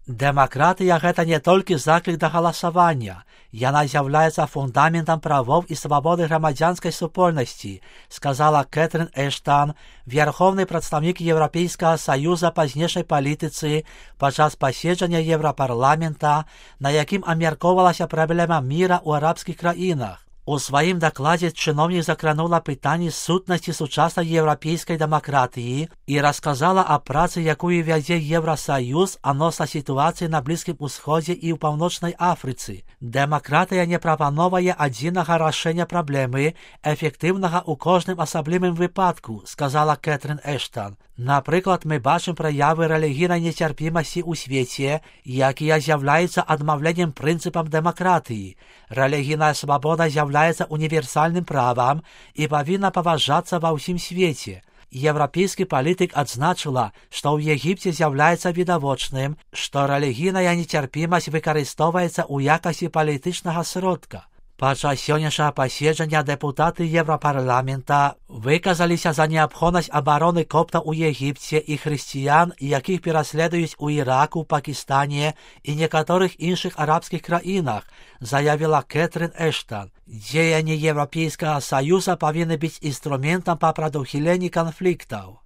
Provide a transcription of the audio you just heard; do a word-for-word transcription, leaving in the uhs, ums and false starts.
Дэмакратыя гэта не толькі заклік да галасавання, яна з'яўляецца фундаментам правоў і свабоды грамадзянскай супольнасці, сказала Кэтрин Эштан, верховны прадстаўнік Еўрапейскага саюза па знешняй палітыцы падчас паседжання Еўрапарламента, на якім абмяркоўвалася праблема міра ў арабскіх краінах. У сваім дакладзе чыноўнік закранула пытанні сутнасці сучаснай еўрапейскай дэмакратыі і расказала аб працы, якую вядзе Еўрасаюз адносна сітуацыі на Блізкім Усходзе і ў Паўночнай Афрыцы. Дэмакратыя не прапановае адзінага рашэння праблемы, эфектыўнага ў кожным асаблівым выпадку, сказала Кэтрин Эштан. Напрыклад, мы бачым праявы рэлігійнай нецярпімасці ў свеце, якія з'яўляюцца адмаўленнем прынцыпам дэмакратыі. Рэлігійная свабода з'яўляецца універсальным правам і павінна паважацца ва ўсім свеце. Еўрапейскі палітык адзначыла, што ў Егіпце з'яўляецца відавочным, што рэлігійная нецярпімасць выкарыстоўваецца ў якасці палітычнага сродка. Падчас сённяшняга паседжання дэпутаты Еўрапарламента выказаліся за неабходнасць абароны коптаў у Егіпце і хрысціян, якіх пераследуюць у Іраку, Пакістане і некаторых іншых арабскіх краінах, заявіла Кэтрин Эштан. Дзеянні Еўрапейскага саюза павінны быць інструментам па прадухіленні канфліктаў.